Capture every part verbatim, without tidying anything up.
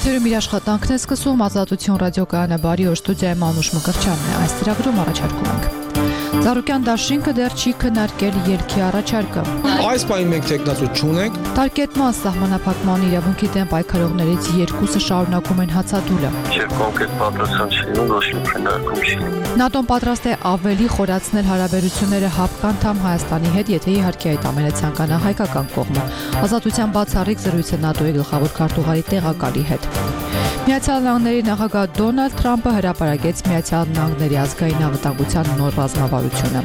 Եթերում իր աշխատանքն է սկսում Ազատություն ռադիոկայանը, բարի օր, ստուդիայում Անուշ Մկրտչյանն է, այս ծրագրում առաջարկում ենք. Ծառուկյան դաշինքը դեռ չի քննարկել ելքի առաջարկը. Այս պահին մենք տեխնացու չունենք. Տարկետման սահմանափակման իրավունքի դեմ պայքարողներից երկուսը շարունակում են հացադուլը. Եվ կոնկրետ պատասխան չի, ոչ մի քննարկում չի. ՆԱՏՕ-ն պատրաստ է ավելի խորացնել հարաբերությունները ՀԱՊԿ-անդամ Հայաստանի հետ, եթե իհարկե այդ ամենը ցանկանա հայկական կողմը. Ազատության բացառիկ զրույցը ՆԱՏՕ-ի գլխավոր քարտուղարի տեղակալի հետ. Միացյալ Նահանգների նախագահ Դոնալդ Թրամփը հրապարակեց Միացյալ Նահանգների ազգային անվտանգության նոր ռազմավարությունը.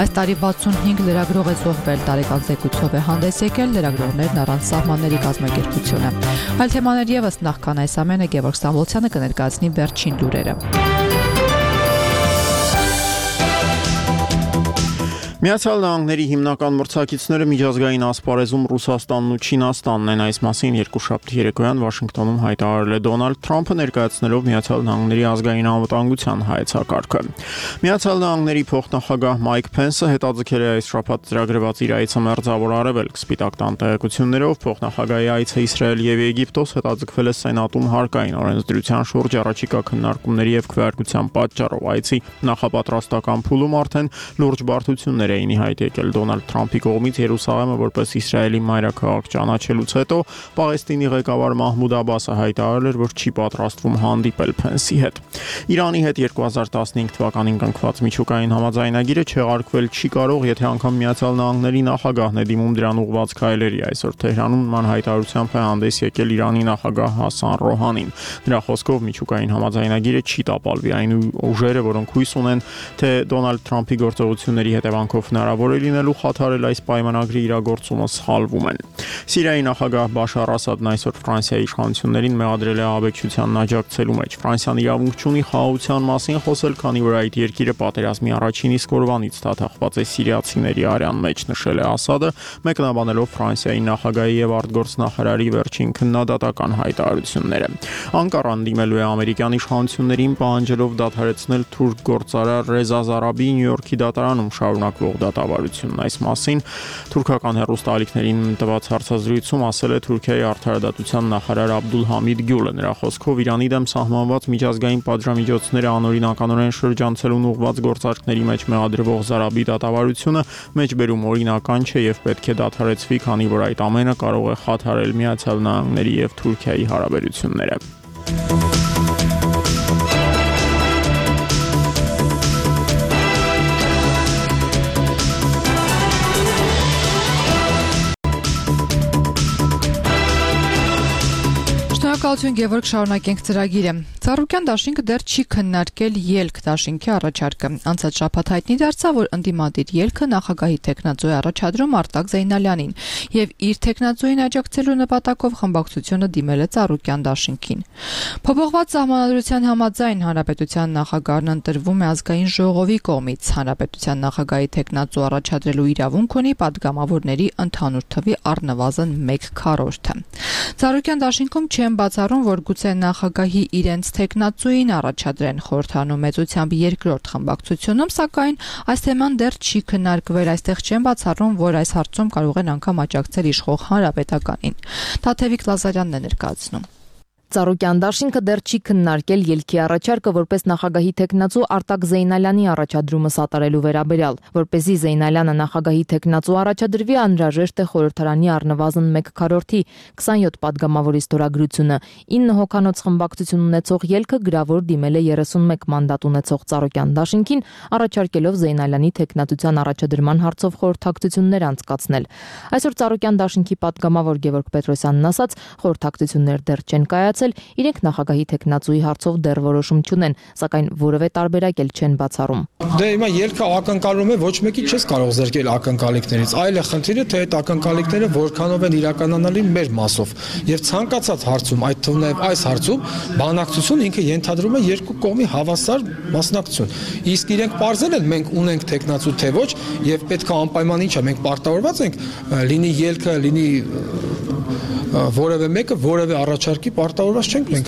Այս տարի վաթսունհինգ լրագրող է զոհվել, տարեկան զեկույցով է հանդես եկել լրագրողներն առանց սահմանների կազմակերպությունը. Այլ թեմաներ ևս նախքան այս ամենը Գևորգ Ստամբոլցյանը կներկայացնի վերջին լուրերը. Միացյալ Նահանգների հիմնական մրցակիցները միջազգային ասպարեզում Ռուսաստանն ու Չինաստանն են, այս մասին երկուշաբթի երեկոյան Վաշինգտոնում հայտարարել է Դոնալդ Թրամփը, ներկայացնելով Միացյալ Նահանգների ազգային անվտանգության հայեցակարգը։ Միացյալ Նահանգների փոխնախագահ Մայք Փենսը հետաձգել է այս շաբաթ ծրագրված իր այցը Մերձավոր Արևելք, Սպիտակ տան տեղեկություններով փոխնախագահի այցը Իսրայել եւ Եգիպտոս հետաձգվել է Սենատում հարկային օրենսդրության շուրջ առաջիկա քննարկումների եւ քվեարկության պատճառով։ Այցի նախապատրաստական փուլում արդեն լուրջ բարդություններ էին իհայտ եկել Դոնալդ Թրամփի կողմից Երուսաղեմը որպես Իսրայելի մայրաքաղաք ճանաչելուց հետո Պաղեստինի ղեկավար Մահմուդ Աբասը հայտարարել էր, որ չի պատրաստվում հանդիպել Փենսի հետ։ Իրանի հետ երկու հազար տասնհինգ թվականին կնքված միջուկային համաձայնագիրը չեղարկվել չի կարող, եթե անգամ Միացյալ Նահանգների նախագահն է դիմում դրան ուղղված քայլերի։ Այսօր Թեհրանում նման հայտարարությամբ է հանդես եկել Իրանի նախագահ Հասան Ռոհանին։ Նրա խոսքով միջուկային համաձայնագիրը չի տապալվի, այն ուժերը, որոնք հույս ունեն, թե Դոնալդ Թրամփի գործողությունների հետևանքով հնարավոր է լինելու խաթարել այս պայմանագրի իրագործումը սխալվում են։ Սիրիայի նախագահ Բաշար Ասադն այսօր Ֆրանսիայի իշխանություններին մեղադրել է ահաբեկչությանն աջակցելու մեջ։ Ֆրանսիան իրավունք չունի խաղաղության մասին խոսել, քանի որ այդ երկիրը պատերազմի առաջին իսկ օրվանից դատախված է սիրիացիների արյան մեջ, նշել է Ասադը, մեկնաբանելով Ֆրանսիայի նախագահի եւ արտգործնախարարի վերջին քննադատական հայտարարությունները։ Անկարան դիմելու է ամերիկյան իշխանություններին, պահանջելով դադարեցնել թուրք գործարար Ռեզա Զարաբի Նյու Յորքի դատարանում շարունակվող դատավարությունն։ Այս մասին թուրքական հեռուստաալիքներին տված հարցազրույցում ասել է Թուրքիայի արդարադատության նախարար Աբդուլ Համիդ Գյուլը։ Նրա խոսքով Իրանի դեմ սահմանված միջազգային պատժամիջոցները անօրինականորեն շրջանցելուն ուղղված գործարքների մեջ մեղադրվող Զարաբի դատավարությունը մեջբերում օրինական չէ եւ պետք է դադարեցվի, քանի որ այդ ամենը կարող է խաթարել Միացյալ Նահանգների եւ Թուրքիայի հարաբերությունները։ Շնորհակալություն Գևորգ, շարունակենք ծրագիրը։ Ծառուկյան դաշինքը դեռ չի քննարկել ելք դաշինքի առաջարկը։ Անցած շաբաթ հայտնի դարձավ, որ ընդդիմադիր ելքը նախագահի տեխնացուի առաջադրում Արտակ Զեյնալյանին եւ իր տեխնացուին աջակցելու նպատակով խմբակցությունը դիմել է Ծառուկյան դաշինքին։ Փոփոխված սահմանադրության համաձայն հանրապետության նախագահն ընտրվում է ազգային ժողովի կողմից։ Հանրապետության նախագահի տեխնացու առաջադրելու իրավունք ունի падգամավորների ընդհանուր թվի առնվազն մեկ քառորդը։ Ծառուկյան դաշինքում չեն բացառում, որ գուցե նախագահի իրենց տեխնացուին առաջադրեն խորհրդանու մեծությամբ երկրորդ խմբակցությունում, սակայն այս թեման դեռ չի քննարկվել, այստեղ չեն բացառում, որ այս հարցում կարող են անգամ աջակցել իշխող հանրապետականին։ Թաթևիկ Լազարյանն է ներկայացնում։ Ծառուկյան դաշինքը դեռ չի քննարկել ելքի առաջարկը որպես նախագահի տեխնացու Արտակ Զեյնալյանի առաջադրումը սատարելու վերաբերյալ, որպեսզի Զեյնալյանը նախագահի տեխնացու առաջադրվի, անհրաժեշտ է խորհրդարանի առնվազն մեկ քառորդի քսանյոթ падգամավորի ստորագրությունը։ ինը հոգանոց խմբակցություն ունեցող ելքը գրավոր դիմել է երեսունմեկ մանդատ ունեցող Ծառուկյան դաշինքին, առաջարկելով Զեյնալյանի տեխնատության առաջադրման հարցով խորհրդակցություններ անցկացնել։ Այսօր Ծառուկյան դաշինքի падգամավոր Գևորգ Պետրոսյանն ասաց, խորհրդակցություններ դեռ չեն կայացել, իրենք նախագահի տեխնացուի հարցով դեռ որոշում չունեն, սակայն որևէ տարբերակ էլ չեն բացառում։ Դե հիմա ելքը ակնկալում է, ոչ մեկի չես կարող զրկել ակնկալիքներից, այլ է խնդիրը, թե այդ ակնկալիքները որքանով են իրականանալի մեր մասով։ Եվ ցանկացած հարցում, այդ թվում նաև այս հարցում, բանակցություն ինքը ենթադրում է երկու կողմի հավասար մասնակցություն։ Իսկ իրենք պարզել են, մենք ունենք տեխնացու թե ոչ, եւ պետք է անպայման ինչա մենք պարտավորված ենք լինի ելքը, լինի որևէ մեկը որևէ առաջարկի պարտավորված չենք մենք։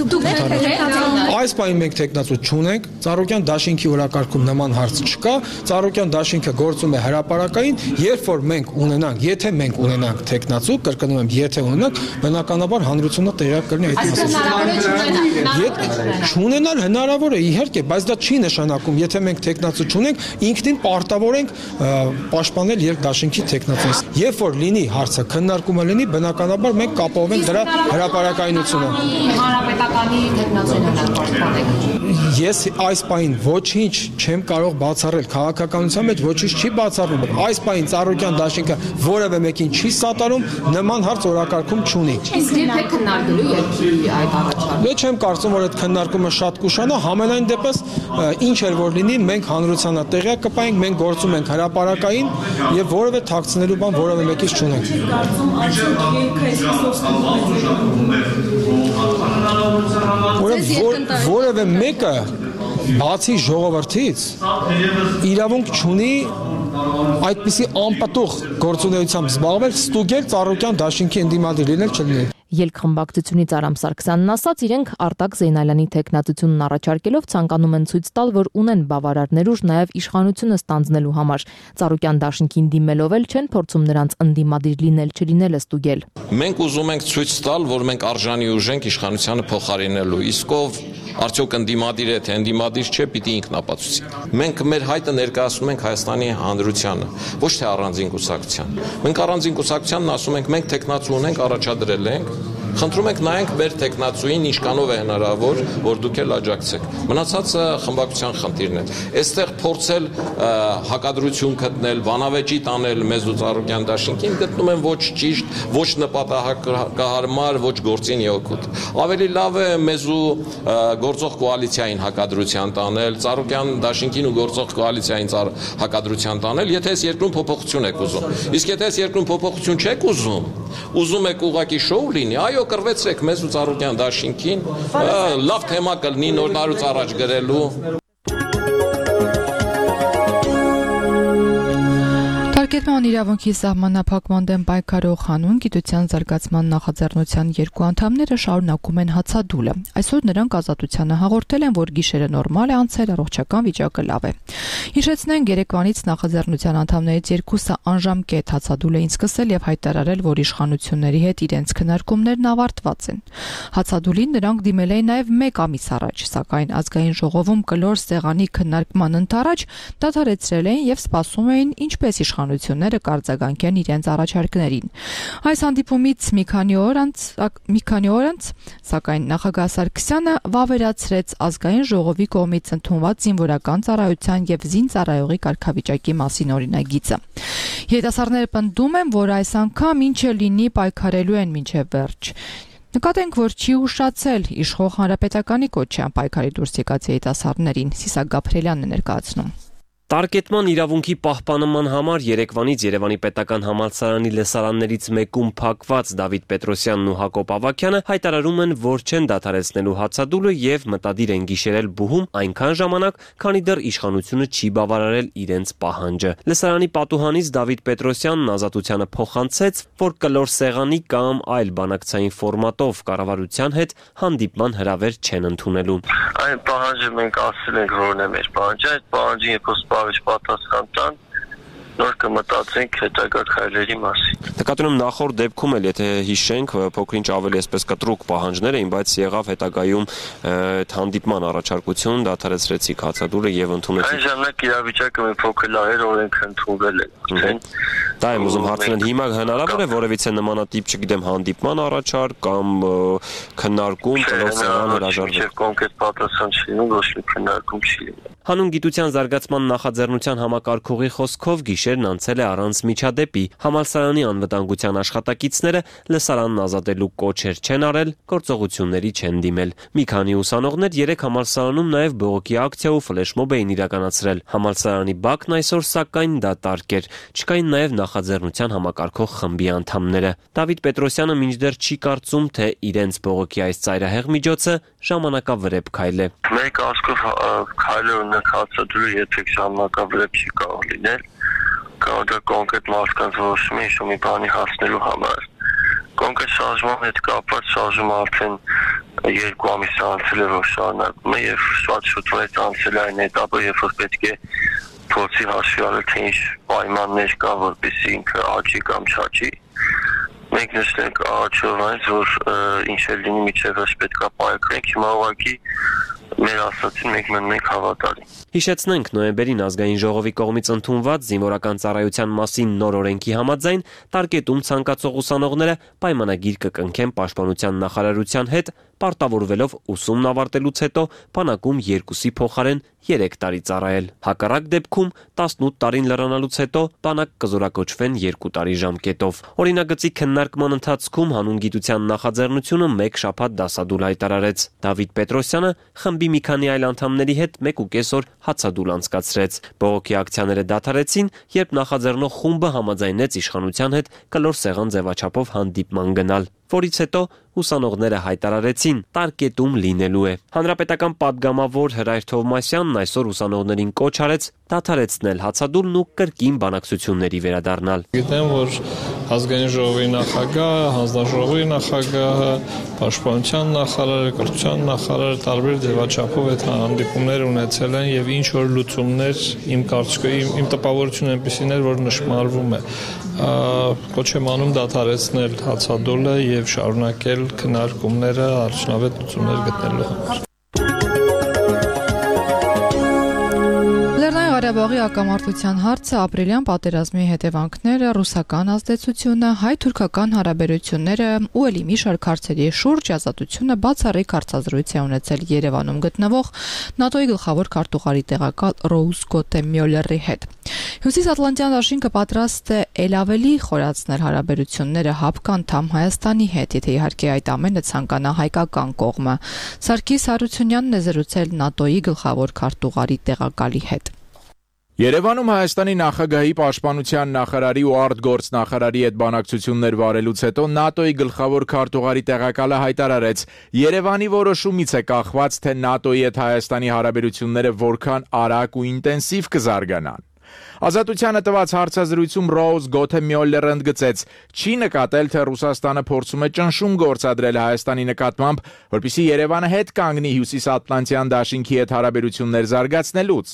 Այս պահին մենք տեխնացու չունենք, Ծառուկյան դաշինքի օրակարգում նման հարց չկա, Ծառուկյան դաշինքը գործում է հրապարակային, երբ որ մենք ունենանք, եթե մենք ունենանք տեխնացու, կրկնում եմ, եթե ունենանք, բնականաբար հանրությունը տեղյակ կլինի այդ մասին։ Չունենալ հնարավոր է, իհարկե, բայց դա չի նշանակում, եթե մենք տեխնացու չունենք, ինքնին պարտավոր ենք պաշտպանել երկդաշինքի տեխնացուից։ Երբ որ լինի հարցը քննարկումը լինի, բնականաբար մենք կապահովենք դրա հրապարակայնությունը։ Հանրապետականի տեխնացուին պաշտպանեք։ Ես այս պահին ոչինչ չեմ կարող բացառել, քաղաքականության մեջ ոչինչ չի բացառվում։ Այս պահին Ծառուկյան դաշինքը որևէ մեկին չի սատարում, նման հարց օրակարգում չունի։ Իսկ երբ է քննարկելու երկրի այդ առաջարկը։ Ես չեմ կարծում, որ այդ քննարկումը շատ կուշանա, համենայն դեպս ինչ էլ որ լինի, մենք հանրությանը տեղյակ կպայենք, մենք գործում ենք հրապարակային եւ որևէ թաքցնելու բան որևէ մեկից չունենք։ Որևէ մեկը բացի ժողովրդից իրավունք չունի այդպիսի անպտուղ գործունեությամբ զբաղվել, ստուգել Ծառուկյան դաշինքի ընդդիմադիր լինել չլինել։ Ելքխմբակցությունից Արամ Սարգսյանն ասաց, իրենք Արտակ Զեյնալյանի տեխնացությունն առաջարկելով ցանկանում են ցույց տալ, որ ունեն բավարար ներուժ նաև իշխանությունը ստանձնելու համար։ Ծառուկյան դաշինքին դիմելով էլ չեն փորձում նրանց ընդդիմադիր լինել չլինելը ստուգել։ Մենք ուզում ենք ցույց տալ, որ մենք արժանի ուժ ենք իշխանությանը փոխարինելու, իսկ ով արդյոք ընդդիմադիր է, թե ընդդիմադիր չէ, պիտի ինքն ապացուցի։ Մենք մեր հայտը ներկայացնում ենք Հայաստանի հանրությանը, ոչ թե առանձին կուսակցության։ Մենք առանձին կուսակցությանն ասում ենք, մենք տեխնացու ունենք, առաջադրել ենք, խնդրում ենք նայենք մեր տեխնացուին ինչքանով է հնարավոր, որ դուք էլ աջակցեք։ Մնացածը խմբակցության խնդիրն է։ Այստեղ փորձել հակադրություն գտնել, բանավեճի տանել մեզ ու Ծառուկյան դաշինքին գտնում են ոչ ճիշտ, ոչ նպատակահարմար, ոչ գործին օգուտ։ Ավելի լավ է մեզ ու գործող կոալիցիային հակադրության տանել, Ծառուկյան դաշինքին ու գործող կոալիցիային հակադրության տանել, եթե այս երկրում փոփոխություն եք ուզում։ Իսկ եթե այս երկրում փոփոխություն չեք ուզում, ուզում եք ուղղակի շոու լինի, այո, կռվեցրեք մեզ ու Ծառուկյան դաշինքին, լավ թեմա կլինի նոր տարուց առաջ գրելու։ Տարկետման իրավունքի սահմանափակման դեմ պայքարող հանուն գիտության զարգացման նախաձեռնության երկու անդամները շարունակում են հացադուլը։ Այսօր նրանք ազատությանը հաղորդել են, որ գիշերը նորմալ է անցել, առողջական վիճակը լավ է։ Հիշեցնենք, երեկվանից նախաձեռնության անդամներից երկուսը անժամկետ հացադուլ էին սկսել եւ հայտարարել, որ իշխանությունների հետ իրենց քննարկումներն ավարտված են։ Հացադուլին նրանք դիմել էին նաեւ մեկ ամիս առաջ, սակայն ազգային ժողովում կլոր սեղանի քննարկման ընթരാճ դադարեցրել էին եւ սպասում էին ինչպես իշխանությունները կարձագանքեն իրենց առաջարկներին։ Այս հանդիպումից մի քանի օր անց մի քանի օր անց սակայն նախագահ Սարգսյանը վավերացրեց ազգային ժողովի կողմից ընդունված զինվորական ծառայության եւ զինծառայողի կարգավիճակի մասին օրինագիծը։ Երիտասարդները պնդում են, որ այս անգամ ինչը լինի պայքարելու են մինչև վերջ։ Նկատենք, որ չի ուշացել իշխող հանրապետականի կոչյան պայքարի դուրս եկած երիտասարդներին, Սիսակ Գաբրելյանն է ներկայացնում։ Տարկետման իրավունքի պահպանման համար Երևանից Երևանի պետական համալսարանի լսարաններից մեկում փակված Դավիթ Պետրոսյանն ու Հակոբ Ավագյանը հայտարարում են, որ չեն դադարեցնելու հացադուլը եւ մտադիր են գիշերել բուհում այնքան ժամանակ, քանի դեռ իշխանությունը չի բավարարել իրենց պահանջը։ Լսարանի պատուհանից Դավիթ Պետրոսյանն ազատությանը փոխանցեց, որ կլոր սեղանի կամ այլ բանակցային ֆորմատով կառավարության հետ հանդիպման հրավեր չեն ընդունելու։ Այն պահանջը մենք ասել ենք, որն է մեր պահանջը, այդ պահանջի երբ պատասխան տան, նոր կմտածենք հետագա քայլերի մասին։ Նկատում եմ նախորդ դեպքում էլ, եթե հիշենք, փոքր-ինչ ավելի այսպես կտրուկ պահանջներ էին, բայց եղավ հետագայում հանդիպման առաջարկություն, դադարեցրեցիք հացադուլը եւ ընդունեցիք։ Այն ժամանակ իրավիճակը մի փոքր լավ էր, օրենքը ընդունվել էր, արդեն։ Դա եմ ուզում հարցնել, հիմա հնարավոր է որևիցե նմանատիպ, չգիտեմ, հանդիպման առաջարկ կամ քննարկում, կլոր սեղան հրաժարվել։ Չէ, կոնկրետ պատասխան չի լինում, ոչ մի քննարկում չի լինում։ Հանուն գիտության զարգացման նախաձեռնության համակարգողի խոսքով գիշերն անցել է առանց միջադեպի։ Համալսարանի անվտանգության աշխատակիցները լսարանն ազատելու կոչեր չեն արել, գործողությունների չեն դիմել։ Մի քանի ուսանողներ երեք համալսարանում նաև բողոքի ակցիա ու ֆլեշմոբ էին իրականացրել։ Համալսարանի բակն այսօր սակայն դատարկ էր։ Չկային նաև նախաձեռնության համակարգող խմբի անդամները։ Դավիթ Պետրոսյանը մինչդեռ չի կարծում, թե իրենց բողոքի այս ծայրահեղ միջոցը ժամանակավրեպ քայլ է։ Մեր կարծիքով քայլը ունենք հացադուլը երբեք ժամանակավրեպ չի կարող լինել։ Կարող է կոնկրետ մարդկանց որոշումը ինչ-որ մի բանի հասնելու համար։ Թանկը շարժման հետ կապված շարժումը արդեն երկու ամիս անցել է, որ շարունակում է եւ շատ շուտ անցել է այն этаպը, երբ որ պետք է փորձի հաշվի առնել, թե ինչ պայմաններ կա, որպեսզի ինքը աճի կամ չաճի։ Մենք նշենք աճով այնց, որ ինչ էլ լինի միջև պետք է պայքարենք, հիմա ուղղակի մեր ասացին մենք մնում ենք հավատալի։ Հիշեցնենք, նոյեմբերին ազգային ժողովի կողմից ընդունված զինվորական ծառայության մասին նոր օրենքի համաձայն տարկետում ցանկացող ուսանողները պայմանագիր կկնքեն պաշտպանության նախարարության հետ, պարտավորվելով ուսումն ավարտելուց հետո բանակում երկուսի փոխարեն երեք տարի ծառայել։ Հակառակ դեպքում տասնութ տարին լրանալուց հետո բանակ կզորակոչվեն երկու տարի ժամկետով։ Օրինագծի քննարկման ընթացքում հանուն գիտության նախաձեռնությունը մեկ շաբաթ դասադուլ հայտարարեց։ Դավիթ Պետրոսյանը խմբի մի քանի այլ անդամների հետ մեկ ու կես օր հացադուլ անցկացրեց։ Բողոքի ակցիաները դադարեցին, երբ նախաձեռնող խումբը համաձայնեց իշխանության հետ կլոր սեղան ձևաչափով հանդիպման գնալ, որից հետո ուսանողները հայտարարեցին տարկետում լինելու է։ Հանրապետական պատգամավոր Հրայր Թովմասյանն այսօր ուսանողներին կոչ արեց դադարեցնել հացադուլն ու կրկին բանակցությունների վերադառնալ։ Գիտեմ, որ ազգային ժողովի նախագահը, հանձնաժողովի նախագահը, պաշտպանության նախարարը, կրթության նախարարը տարբեր ձևաչափով այդ հանդիպումներ ունեցել են եւ ինչ որ լուծումներ իմ կարծիքով իմ, իմ տպավորությունը այնպեսին էր, որ նշмарվում է։ Կոչ եմ անում դադարեցնել հացադուլը եւ շարունակել քննարկումները արդյունավետ լուծումներ գտնելու համար։ Լեռնային Ղարաբաղի ակամարտության հարցը, ապրիլյան պատերազմի հետևանքները, ռուսական ազդեցությունը, հայ-թուրքական հարաբերությունները ու ելի մի շարք հարցերի շուրջ ազատությունը բացառիկ հարցազրույց է ունեցել Երևանում գտնվող ՆԱՏՕ-ի գլխավոր քարտուղարի տեղակալ Ռոուզ Գոթե Մյոլլերի հետ։ Հյուսիսատլանտյան դաշինքը պատրաստ է ել ավելի խորացնել հարաբերությունները հապկանդամ Հայաստանի հետ, եթե իհարկե այդ ամենը ցանկանա հայկական կողմը։ Սարգիս Հարությունյանն է զրուցել ՆԱՏՕ-ի գլխավոր քարտուղարի տեղակալի հետ։ Երևանում Հայաստանի նախագահի պաշտպանության նախարարի ու արտգործնախարարի հետ բանակցություններ վարելուց հետո ՆԱՏՕ-ի գլխավոր քարտուղարի տեղակալը հայտարարեց. Երևանի որոշումից է կախված, թե ՆԱՏՕ-ի հետ Հայաստանի հարաբերությունները որքան արագ ու ինտենսիվ կզարգանան։ Ազատությանը տված հարցազրույցում Ռոուզ Գոթե Մյոլլերը ընդգծեց. չի նկատել, թե Ռուսաստանը փորձում է ճնշում գործադրել Հայաստանի նկատմամբ, որպեսզի Երևանը հետ կանգնի Հյուսիսատլանտյան դաշինքի հետ հարաբերություններ զարգացնելուց։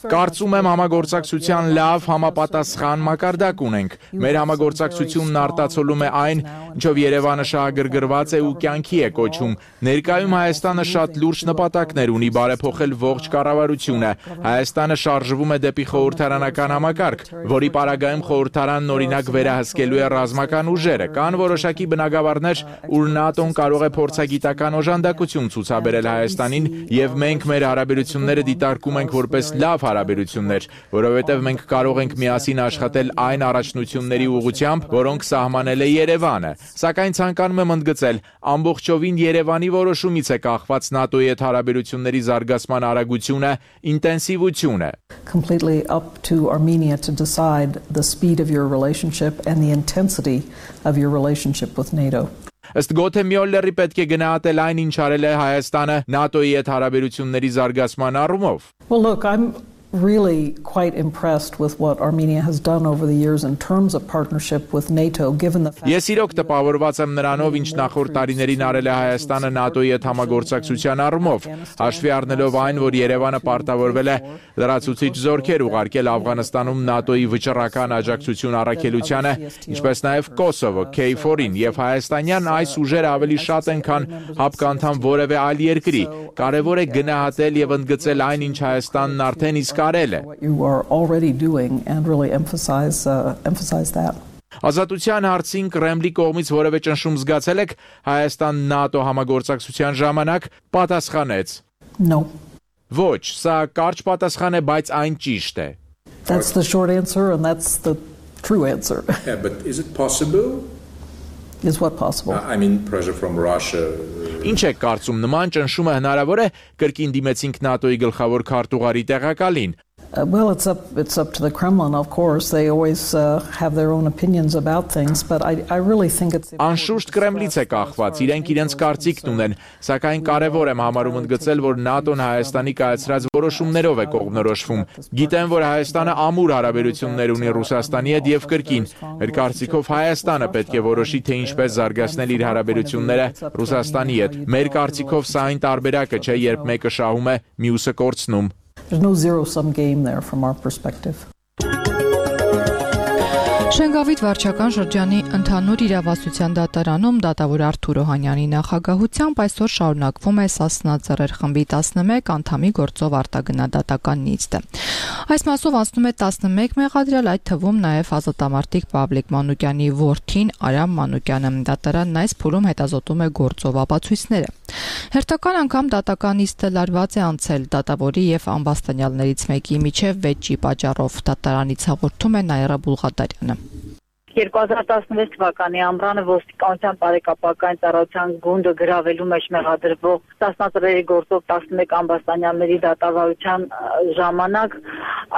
Կարծում եմ համագործակցության լավ համապատասխան մակարդակ ունենք։ Մեր համագործակցությունն արտացոլում է այն, ինչով Երևանը շահագրգռված է ու կյանքի է կոչում։ Ներկայում Հայաստանը շատ լուրջ նպատակներ ունի բարեփոխել ողջ կառավարությունը։ Հայաստանը շարժվում է դեպի խորհրդարանական համակարգ, որի պարագայում խորհրդարանն օրինակ վերահսկելու է ռազմական ուժերը։ Կան որոշակի բնագավառներ, ուր ՆԱՏՕ-ն կարող է փորձագիտական օժանդակություն ցուցաբերել Հայաստանին, եւ մենք մեր հարաբերությունները դիտարկում ենք որպես լավ հարաբերություններ, որովհետեւ մենք կարող ենք միասին աշխատել այն առաջնությունների ուղղությամբ, որոնք սահմանել է Երևանը։ Սակայն ցանկանում եմ ընդգծել, ամբողջովին Երևանի որոշումից է կախված ՆԱՏՕ-ի հետ հարաբերությունների զարգացման արագությունը, ինտենսիվությունը։ Completely up to Armenia to decide the speed of your relationship and the intensity of your relationship with NATO. Ըստ Գոթե Մյոլլերի պետք է գնահատել այն, ինչ արել է Հայաստանը ՆԱՏՕ-ի հետ հարաբերությունների զարգացման առումով։ Well, look, I'm really quite impressed with what Armenia has done over the years in terms of partnership with NATO, given the fact. Ես իրոք տպավորված եմ նրանով, ինչ նախորդ տարիներին արել է Հայաստանը ՆԱՏՕ-ի հետ համագործակցության առումով, հաշվի առնելով այն, որ Երևանը պարտավորվել է լրացուցիչ զորքեր ուղարկել Աֆղանստանում ՆԱՏՕ-ի վճռական աջակցություն առաքելությանը, ինչպես նաև Կոսովո, K four-ին եւ հայաստանյան այս ուժերը ավելի շատ են, քան հապկանդամ որևէ այլ երկրի։ Կարևոր է գնահատել եւ ընդգծել այն, ինչ Հայաստանն արդեն իսկ what you are already doing and really emphasize uh, emphasize that. Ազատության հարցին Կրեմլի կողմից որևէ ճնշում զգացել եք Հայաստան-ՆԱՏՕ համագործակցության ժամանակ, պատասխանեց. No. Ոչ, սա կարճ պատասխան է, բայց այն ճիշտ է. That's the short answer and that's the true answer. Yeah, but is it possible? Is what possible? I mean pressure from Russia. Ինչ եք կարծում, նման ճնշումը հնարավոր է, կրկին դիմեցինք ՆԱՏՕ-ի գլխավոր քարտուղարի տեղակալին։ Uh, well, it's up it's up to the Kremlin, of course. They always uh, have their own opinions about things, but I I really think it's Անշուշտ Կրեմլից է կախված, իրենք իրենց կարծիքն ունեն, սակայն կարևոր եմ համարում ընդգծել, որ ՆԱՏՕ-ն Հայաստանի կայացրած որոշումներով է կողմնորոշվում։ Գիտեմ, որ Հայաստանը ամուր հարաբերություններ ունի Ռուսաստանի հետ եւ կրկին, մեր կարծիքով Հայաստանը պետք է որոշի, թե ինչպես զարգացնել իր հարաբերությունները Ռուսաստանի հետ։ Մեր կարծիքով սա այն տարբերակը չէ, երբ մեկը շահում է, մյուսը կորցնում։ There's no zero-sum game there from our perspective. Շենգավիթ վարչական շրջանի ընդհանուր իրավասության դատարանում դատավոր Արթուր Օհանյանի նախագահությամբ այսօր շարունակվում է Սասնա Ծռեր խմբի տասնմեկ անդամի գործով արտագնահատական նիստը։ Այս մասով անցնում է տասնմեկ մեղադրյալ, այդ թվում նաև ազատամարտիկ Պավլիկ Մանուկյանի որդին Արամ Մանուկյանը։ Դատարանն այս փուլում հետազոտում է գործով ապացույցները։ Հերթական անգամ դատական նիստը լարված է անցել դատավորի եւ ամբաստանյալներից մեկի միջև վեճի պատճառով։ Դատարանից հաղորդում է Նաիրա Բուլղադարյանը։ երկու հազար տասնվեց թվականի ամռանը ոստիկանության բարեկապակային ծառայության գունդը գրավելու մեջ մեղադրվող Սասնա-Ծռերի գործով տասնմեկ ամբաստանյալների դատավարության ժամանակ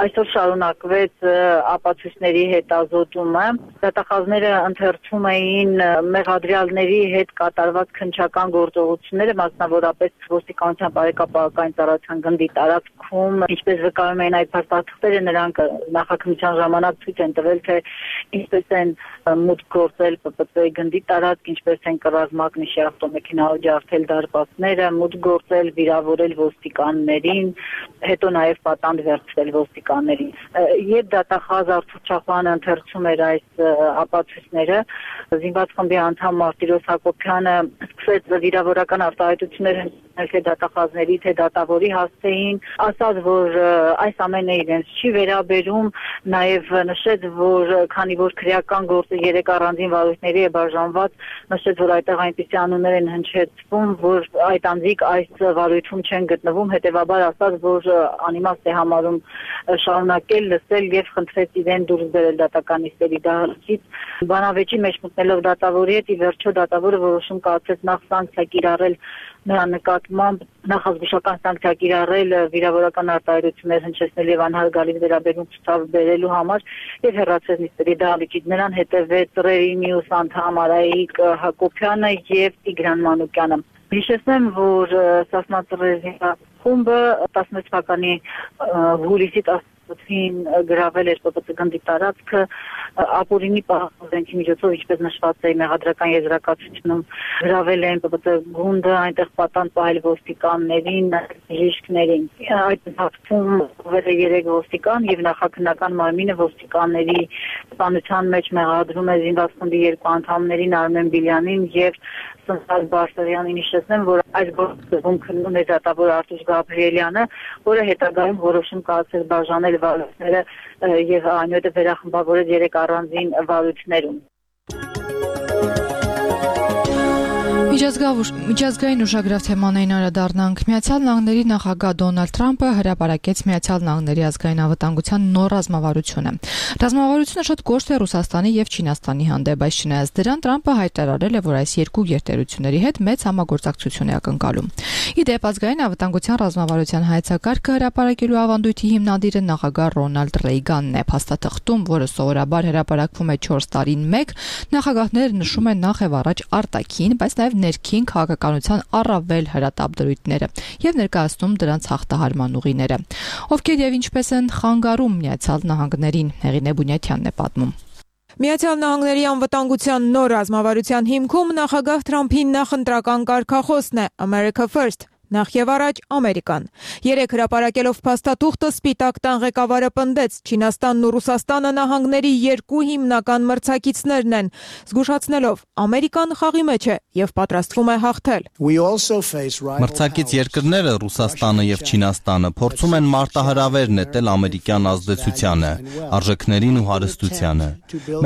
այսօր շարունակվեց ապացույցների հետազոտումը։ Դատախազները ընթերցում էին մեղադրյալների հետ կատարված քննչական գործողությունները, մասնավորապես ոստիկանության բարեկապակային ծառայության գնդի տարածքում, ինչպես վկայում էին այդ փաստաթղթերը, նրանք նախաքննության ժամանակ ցույց են տվել, թե ինչպես են մուտք գործել Պ Պ Ց-ի գնդի տարածք, ինչպես են կռված մագնիշի ավտոմեքենայով ջարդել դարպասները, մուտք գործել, վիրավորել ոստիկաններին, հետո նաև պատանդ վերցրել ոստիկաններին։ Երբ դատախազ Արթուր Չախոյանը ընթերցում էր այս ապացույցները, զինված խմբի անդամ Մարտիրոս Հակոբյանը սկսեց վիրավորական արտահայտություններ թե դատախազների, թե դատավորի հասցեին, ասաց, որ այս ամենը իրենց չի վերաբերում, նաև նշեց, որ քանի որ քրեական գործը երեք առանձին վարույթների է բաժանված, նշեց, որ այդտեղ այնպիսի անուններ են հնչեցվում, որ այդ անձիկ այս վարույթում չեն գտնվում, հետևաբար ասաց, որ անիմաստ է համարում շարունակել լսել եւ խնդրեց իրեն դուրս բերել դատական նիստերի դահլիճից։ Բանավեճի մեջ մտնելով դատավորի հետ, ի վերջո դատավորը որոշում կայացրեց նախ սանկցիա կիրառել նրա նկատմամբ նախազգուշական սանկցիա կիրառել վիրավորական արտահայտություններ հնչեցնել եւ անհարգալի վերաբերում ցուցաբերելու համար եւ հեռացրեց նիստերի դահլիճից։ Նրան հետեւեց Ծռերի մյուս անդամ Արայիկ Հակոբյանը եւ Տիգրան Մանուկյանը։ Հիշեցնեմ, որ Սասնա-Ծռերի խումբը տասնմեկ թվականի հուլիսի տասնութին գրավել էր Պ Պ Ց գնդի տարածքը ապօրինի պահանջի միջոցով, ինչպես նշված է մեղադրական եզրակացությունում, գրավել են Պ Պ Ց գունդը, այնտեղ պատանդ պահել ոստիկաններին, բժիշկներին։ Այդ ընթացքում վել է երեք ոստիկան եւ նախաքննական մարմինը ոստիկանների սպանության մեջ մեղադրում է զինված խմբի երկու անդամներին Արմեն Բիլյանին եւ Սննդար Բարսեղյանին։ Հիշեցնեմ, որ այս գործում քննում է դատավոր Արտուշ Գաբրիելյանը, որը հետագայում որոշում կայացրեց բաժանել վարույթները եւ այնուհետեւ վերախմբավորել երեք առանձին վարույթներում։ Միջազգային ուշագրավ թեմանային անդրադառնանք։ Միացյալ Նահանգների նախագահ Դոնալդ Թրամփը հրապարակեց Միացյալ Նահանգների ազգային անվտանգության նոր ռազմավարությունը։ Ռազմավարությունը շատ կոշտ է Ռուսաստանի եւ Չինաստանի հանդեպ, բայց չնայած դրան Թրամփը հայտարարել է, որ այս երկու գերտերությունների հետ մեծ համագործակցություն է ակնկալում։ Ի դեպ, ազգային անվտանգության ռազմավարության հայեցակարգը հրապարակելու ավանդույթի հիմնադիրը նախագահ Ռոնալդ Ռեյգանն է։ Փաստաթղթում, որը սովորաբար հրապարակվում է չորս տարին մեկ, նախագահները նշում են նախ եւ առաջ արտաքին, բայց նաեւ ներքին քաղաքականության առավել հրատապ դրույթները եւ ներկայացնում դրանց հաղթահարման ուղիները։ Ովքեր եւ ինչպես են խանգարում Միացյալ Նահանգներին, Հեղինե Բունյաթյանն է պատմում։ Միացյալ Նահանգների անվտանգության նոր ռազմավարության հիմքում նախագահ Թրամփի նախընտրական կարգախոսն է America First, նախ եւ առաջ Ամերիկան։ Երեք հրապարակելով փաստաթուղթը Սպիտակ տան ղեկավարը պնդեց, Չինաստանն ու Ռուսաստանը նահանգների երկու հիմնական մրցակիցներն են, զգուշացնելով Ամերիկան խաղի մեջ է եւ պատրաստվում է հաղթել։ Մրցակից երկրները Ռուսաստանը եւ Չինաստանը փորձում են մարտահրավեր նետել ամերիկյան ազդեցությանը, արժեքներին ու հարստությանը։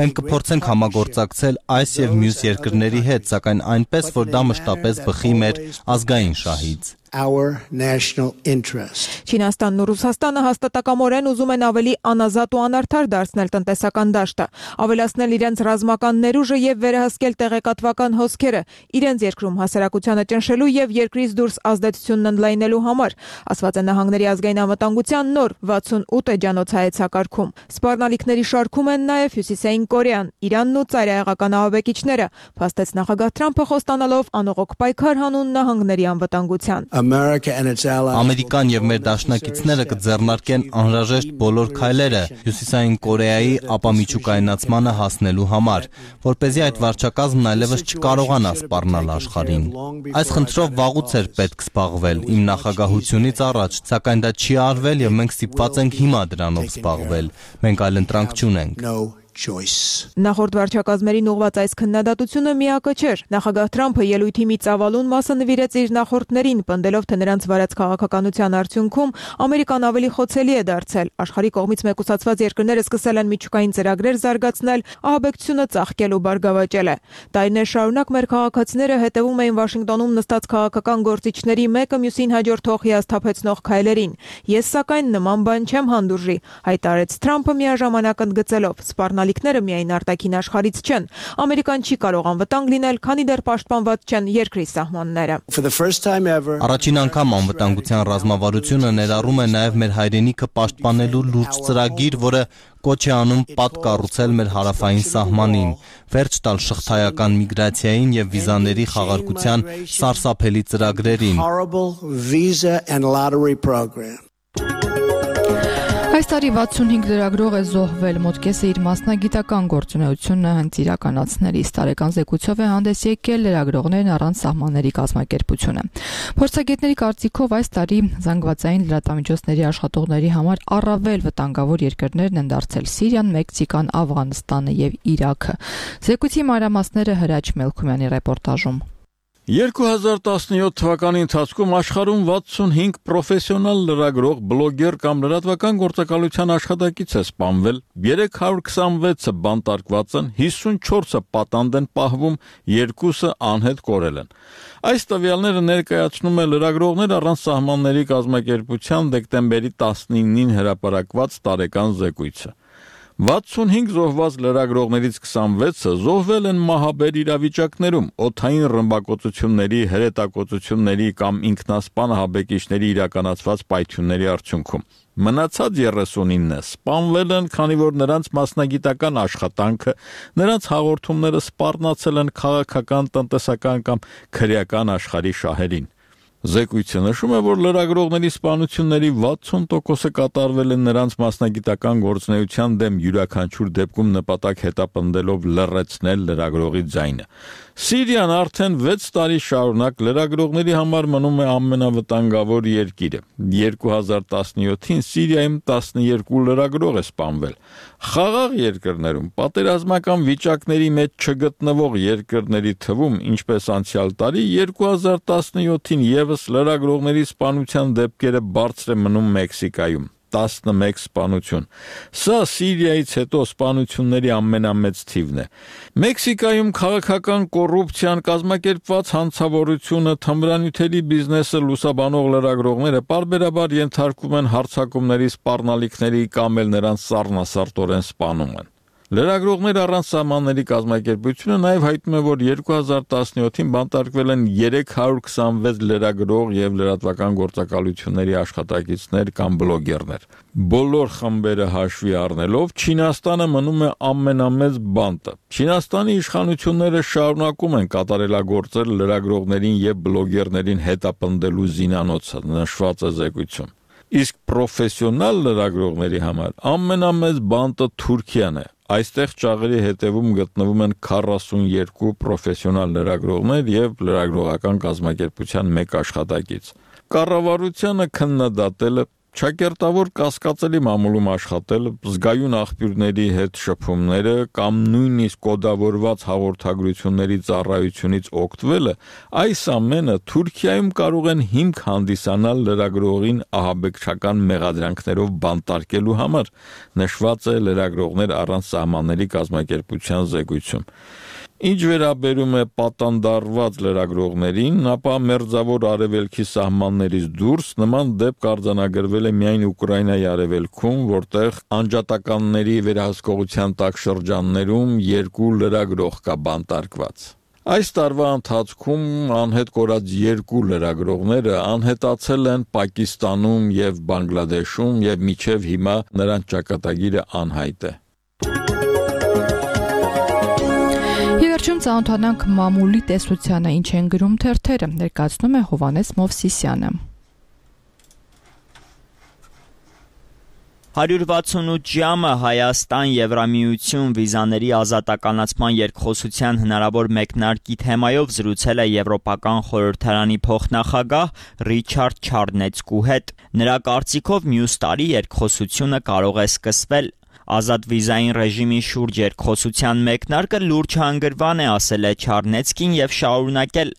Մենք կփորձենք համագործակցել այս եւ մյուս երկրների հետ, սակայն այնպես, որ դա մշտապես բխի մեր ազգային շահից։ our national interest. Չինաստանն ու Ռուսաստանը հաստատակամորեն ուզում են ավելի անազատ ու անարդար դարձնել տնտեսական դաշտը, ավելացնել իրենց ռազմական ներուժը եւ վերահսկել տեղեկատվական հոսքերը, իրենց երկրում հասարակությանը ճնշելու եւ երկրից դուրս ազդեցությունն ընդլայնելու համար, ասված է Նահանգների ազգային անվտանգության նոր վաթսունութ էջանոց հայեցակարգում։ Սպառնալիքների շարքում են նաեւ Հյուսիսային Կորեան, Իրանն ու ծայրահեղական ահաբեկիչները, փաստեց նախագահ Թրամփը խոստանալով անողոք պայքար հանուն նահանգների անվտանգության։ Ամերիկան եւ մեր դաշնակիցները կձեռնարկեն անհրաժեշտ բոլոր քայլերը Հյուսիսային Կորեայի ապամիջուկայնացմանը հասնելու համար, որպեսզի այդ վարչակազմն այլևս չկարողանա սպառնալ աշխարհին։ Այս խնդրով վաղուց էր պետք զբաղվել իմ նախագահությունից առաջ, սակայն դա չի արվել եւ մենք ստիպված ենք հիմա դրանով զբաղվել։ Մենք այլ ընտրանք չունենք։ Նախորդ վարչակազմերին ուղղված այս քննադատությունը միակը չէր։ Նախագահ Թրամփը ելույթի մի ծավալուն մասը նվիրեց իր նախորդներին, պնդելով, թե նրանց վարած քաղաքականության արդյունքում Ամերիկան ավելի խոցելի է դարձել։ Աշխարհի կողմից մեկուսացված երկրները սկսել են միջուկային ծրագրեր զարգացնել, ահաբեկչությունը ծաղկել ու բարգավաճել է։ Տարիներ շարունակ մեր քաղաքացիները հետևում էին Վաշինգտոնում նստած քաղաքական գործիչների մեկը մյուսին հաջորդող հիասթափեցնող քայլերին։ Ես սակայն նման բան չեմ հանդուրժի, հայտարարեց Թրամփը միաժամանակ ընդգծելով, սպառնալիքները միայն արտաքին աշխարհից չեն։ Ամերիկան չի կարող անվտանգ լինել, քանի դեռ պաշտպանված չեն երկրի սահմանները։ Առաջին անգամ անվտանգության ռազմավարությունը ներառում է նաև մեր հայրենիքը պաշտպանելու լուրջ ծրագիր, որը կոչ է անում պատ կառուցել մեր հարավային սահմանին, վերջ տալ շղթայական միգրացիային եւ վիզաների խաղարկության սարսափելի ծրագրերին։ Այս տարի վաթսունհինգ լրագրող է զոհվել, մոտ կեսը իր մասնագիտական գործունեությունը հենց իրականացնելիս տարեկան զեկույցով է հանդես եկել լրագրողներն առանց սահմանների կազմակերպությունը։ Փորձագետների կարծիքով այս տարի զանգվածային լրատվամիջոցների աշխատողների համար առավել վտանգավոր երկրներն են դարձել Սիրիան, Մեքսիկան, Աֆղանստանը եւ Իրաքը։ Զեկույցի մանրամասները Հրաչ Մելքումյանի ռեպորտաժում։ երկու հազար տասնյոթ թվականի ընթացքում աշխարհում վաթսունհինգ պրոֆեսիոնալ լրագրող, բլոգեր կամ լրատվական գործակալության աշխատակից է սպանվել, երեք հարյուր քսանվեցը բանտարկված են, հիսունչորսը պատանդ են պահվում, երկուսը անհետ կորել են։ Այս տվյալները ներկայացնում է Լրագրողներ առանց սահմանների կազմակերպության դեկտեմբերի տասնինին հրապարակված տարեկան զեկույցը։ վաթսունհինգ զոհված լրագրողներից քսանվեցը զոհվել են մահաբեր իրավիճակներում, օդային ռմբակոծությունների, հրետակոծությունների կամ ինքնասպան ահաբեկիչների իրականացված պայթյունների արդյունքում։ Մնացած երեսունինը սպանվել են, քանի որ նրանց մասնագիտական աշխատանքը, նրանց հաղորդումները սպառնացել են քաղաքական, տնտեսական կամ քրեական աշխարհի շահերին։ Զեկույցը նշում է, որ լրագրողների սպանությունների վաթսուն տոկոսը կատարվել են նրանց մասնագիտական գործունեության դեմ յուրաքանչյուր դեպքում նպատակ հետապնդելով լռեցնել լրագրողի ձայնը։ Սիրիան արդեն վեց տարի շարունակ լրագրողների համար մնում է ամենավտանգավոր երկիրը։ երկու հազար տասնյոթին Սիրիայում տասնյոթ լրագրող է սպանվել։ Խաղաղ երկրներում պատերազմական վիճակների մեջ չգտնվող երկրների թվում, ինչպես անցյալ տարի, երկու հազար տասնյոթին եւս լրագրողների սպանության դեպքերը բարձր է մնում Մեքսիկայում։ տասնմեկ սպանություն։ Սա Սիրիայից հետո սպանությունների ամենամեծ թիվն է։ Մեքսիկայում քաղաքական կոռուպցիան, կազմակերպված հանցավորությունը, թմրանյութերի բիզնեսը լուսաբանող լրագրողները պարբերաբար ենթարկվում են հարձակումների, սպառնալիքների կամ էլ նրանց սառնասարտորեն սպանում են։ Լրագրողներ առանց սահմանների կազմակերպությունը նաև հայտնում է, որ երկու հազար տասնյոթին բանտարկվել են երեք հարյուր քսանվեց լրագրող եւ լրատվական գործակալությունների աշխատակիցներ կամ բլոգերներ։ Բոլոր խմբերը հաշվի առնելով, Չինաստանը մնում է ամենամեծ բանտը։ Չինաստանի իշխանությունները շարունակում են կատարելագործել լրագրողներին եւ բլոգերներին հետապնդելու զինանոցը, նշված է զեկույցում։ Իսկ պրոֆեսիոնալ լրագրողների համար ամենամեծ բանտը Թուրքիան է։ Այստեղ ճաղերի հետևում գտնվում են քառասունյոթ պրոֆեսիոնալ լրագրողներ եւ լրագրողական կազմակերպության մեկ աշխատակից։ Կառավարությանը քննադատել է Չակերտավոր կասկածելի մամուլում աշխատել, զգայուն աղբյուրների հետ շփումները կամ նույնիսկ կոդավորված հաղորդագրությունների ծառայությունից օգտվելը, այս ամենը Թուրքիայում կարող են հիմք հանդիսանալ լրագրողին ահաբեկչական մեղադրանքներով բանտարկելու համար, նշված է Լրագրողներ առանց սահմանների կազմակերպության զեկույցում։ Ինչ վերաբերում է պատանդարված լրագրողներին, ապա մերձավոր արևելքի սահմաններից դուրս նման դեպք արձանագրվել է միայն Ուկրաինայի արևելքում, որտեղ անջատականների վերահսկողության տակ շրջաններում երկու լրագրող կա բանտարկված։ Այս տարվա ընթացքում անհետ կորած երկու լրագրողները անհետացել են Պակիստանում եւ Բանգլադեշում եւ մինչեւ հիմա նրանց ճակատագիրը անհայտ է։ Եվերջում ծանոթանանք մամուլի տեսությանը, ինչ են գրում թերթերը, ներկայացնում է Հովանես Մովսիսյանը։ հարյուր վաթսունութ ժամը Հայաստան Եվրամիություն վիզաների ազատականացման երկխոսության հնարավոր մեկնարկի թեմայով զրուցել է Եվրոպական խորհրդարանի փոխնախագահ Ռիչարդ Չարնեցկու հետ։ Նրա կարծիքով մյուս տարի երկխոսությունը կարող է սկսվել։ Ազատ վիզային ռեժիմի շուրջ երկխոսության մեկնարկը լուրջ հանգրվան է, ասել է Չարնեցկին եւ շարունակել։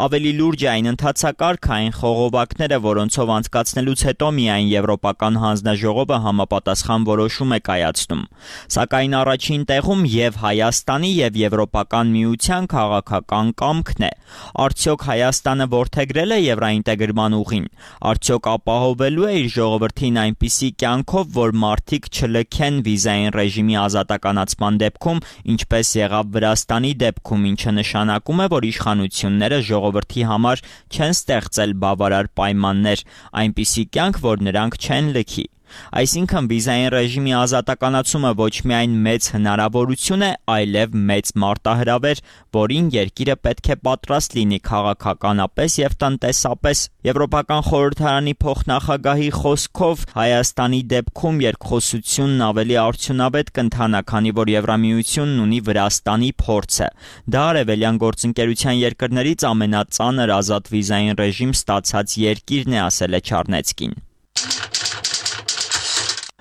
Ավելի լուրջ է այն ընթացակարգային խողովակները, որոնցով անցկացնելուց հետո միայն Եվրոպական հանձնաժողովը համապատասխան որոշում է կայացնում։ Սակայն առաջին տեղում եւ Հայաստանի եւ Եվրոպական միության քաղաքական կամքն է։ Արդյոք Հայաստանը որդեգրել է եվրոինտեգրման ուղին։ Արդյոք ապահովելու է իր ժողովրդին այնպիսի կյանքով, որ մարդիկ չլքեն վիզային ռեժիմի ազատականացման դեպքում, ինչպես եղավ Վրաստանի դեպքում, ինչը նշանակում է, որ իշխանությունները ժողովրդի համար չեն ստեղծել բավարար պայմաններ, այնպիսի կյանք, որ նրանք չեն լքի։ Այսինքն վիզային ռեժիմի ազատականացումը ոչ միայն մեծ հնարավորություն է, այլև մեծ մարտահրավեր, որին երկիրը պետք է պատրաստ լինի քաղաքականապես եւ տնտեսապես։ Եվրոպական խորհրդարանի փոխնախագահի խոսքով Հայաստանի դեպքում երկխոսությունն ավելի արդյունավետ կընթանա, քանի որ Եվրամիությունն ունի Վրաստանի փորձը։ Դա արևելյան գործընկերության երկրներից ամենածանր ազատ վիզային ռեժիմ ստացած երկիրն է, ասել է Չարնեցկին։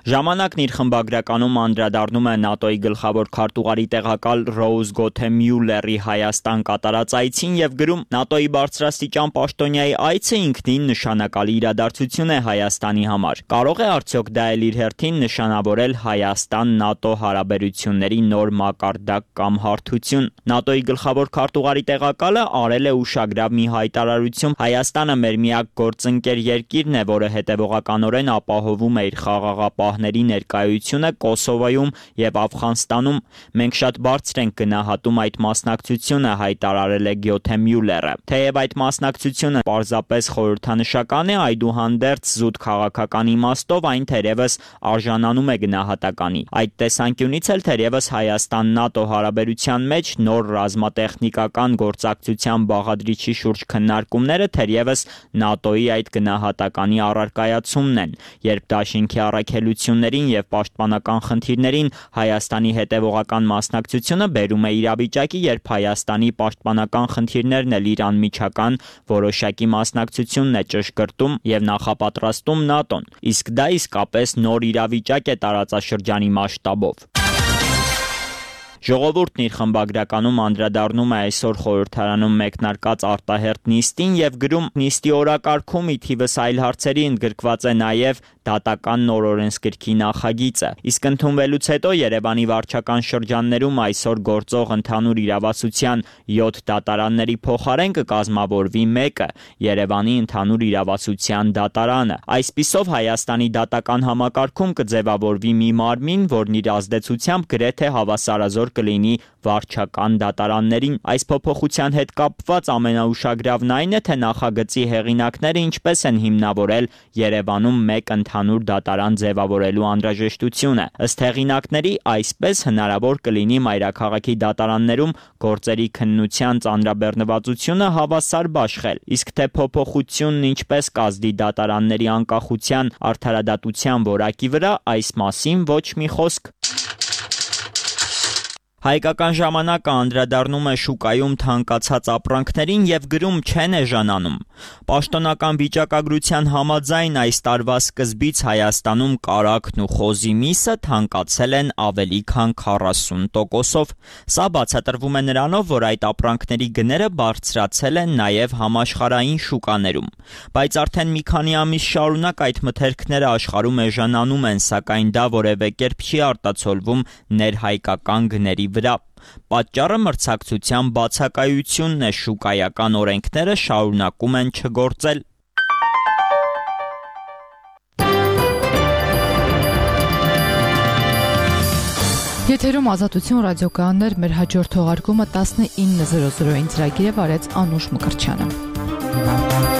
Ժամանակն իր խմբագրականում անդրադառնում է ՆԱՏՕ-ի գլխավոր քարտուղարի տեղակալ Ռոուզ Գոթե Մյուլլերի Հայաստան կատարած այցին եւ գրում. ՆԱՏՕ-ի բարձրաստիճան պաշտոնյայի այցը ինքնին նշանակալի իրադարձություն է Հայաստանի համար։ Կարող է արդյոք դա էլ իր հերթին նշանավորել Հայաստան-ՆԱՏՕ հարաբերությունների նոր մակարդակ կամ հարթություն։ ՆԱՏՕ-ի գլխավոր քարտուղարի տեղակալը արել է ուշագրավ մի հայտարարություն. Հայաստանը մեր միակ գործընկեր երկիրն է, որը հետևողականորեն ապահովում է իր խաղաղապահների ներկայությունը Կոսովոյում եւ Աֆղանստանում։ Մենք շատ բարձր ենք գնահատում այդ մասնակցությունը, հայտարարել է Գյոթե Մյուլլերը։ Թեև այդ մասնակցությունը պարզապես խորհրդանշական է, այդուհանդերձ զուտ քաղաքական իմաստով այն թերևս արժանանում է գնահատականի։ Այդ տեսանկյունից էլ թերևս Հայաստան-ՆԱՏՕ հարաբերության մեջ նոր ռազմատեխնիկական գործակցության բաղադրիչի շուրջ քննարկումները թերևս ՆԱՏՕ-ի այդ գնահատականի առարկայացումն են, երբ դաշինքի առաքելություններին եւ պաշտպանական խնդիրներին Հայաստանի հետևողական մասնակցությունը բերում է իրավիճակի, երբ Հայաստանի պաշտպանական խնդիրներն էլ իր անմիջական որոշակի մասնակցությունն է ճշգրտում եւ նախապատրաստում ՆԱՏՕ-ն, իսկ դա իսկապես նոր իրավիճակ է տարածաշրջանի մասշտաբով։ Ժողովուրդն իր խմբագրականում անդրադառնում է այսօր խորհրդարանում մեկնարկած արտահերթ նիստին եւ գրում. նիստի օրակարգում ի թիվս այլ հարցերի ընդգրկված է նաեւ դատական նոր օրենսգրքի նախագիծը, իսկ ընդունվելուց հետո Երևանի վարչական շրջաններում այսօր գործող ընդհանուր իրավասության յոթ դատարանների փոխարեն կկազմավորվի մեկը՝ Երևանի ընդհանուր իրավասության դատարանը։ Այսպիսով Հայաստանի դատական համակարգում կձևավորվի մի մարմին, որն իր ազդեցությամբ գրեթե հավասարազոր կլինի վարչական դատարաններին։ Այս փոփոխության հետ կապված ամենաուշագրավն այն է, թե նախագծի հեղինակները ինչպես են հիմնավորել Երևանում մեկ ընդհանուր դատարան ձևավորելու անհրաժեշտությունը։ Ըստ հեղինակների, այսպես հնարավոր կլինի մայրաքաղաքի դատարաններում գործերի քննության ծանրաբեռնվածությունը հավասար բաշխել, իսկ թե փոփոխությունն ինչպես կազդի դատարանների անկախության արդարադատության որակի վրա, այս մասին ոչ մի խոսք։ Հայկական ժամանակը անդրադառնում է շուկայում թանկացած ապրանքներին եւ գրում չեն էժանանում։ Պաշտոնական վիճակագրության համաձայն այս տարվա սկզբից Հայաստանում կարագն ու խոզի միսը թանկացել են ավելի քան քառասուն տոկոսով։ Սա բացատրվում է նրանով, որ այդ ապրանքների գները բարձրացել են նաեւ համաշխարհային շուկաներում։ Բայց արդեն մի քանի ամիս շարունակ այդ մթերքները աշխարհում էժանանում են, սակայն դա որևէ կերպ չի արտացոլվում ներհայկական գների վրա։ Պատճառը մրցակցության բացակայությունն է, շուկայական օրենքները շարունակում են չգործել։ Եթերում Ազատություն ռադիոկայաններ, մեր հաջորդ թողարկումը տասնինը զրո զրոյին ծրագիրը վարեց Անուշ Մկրտչյանը։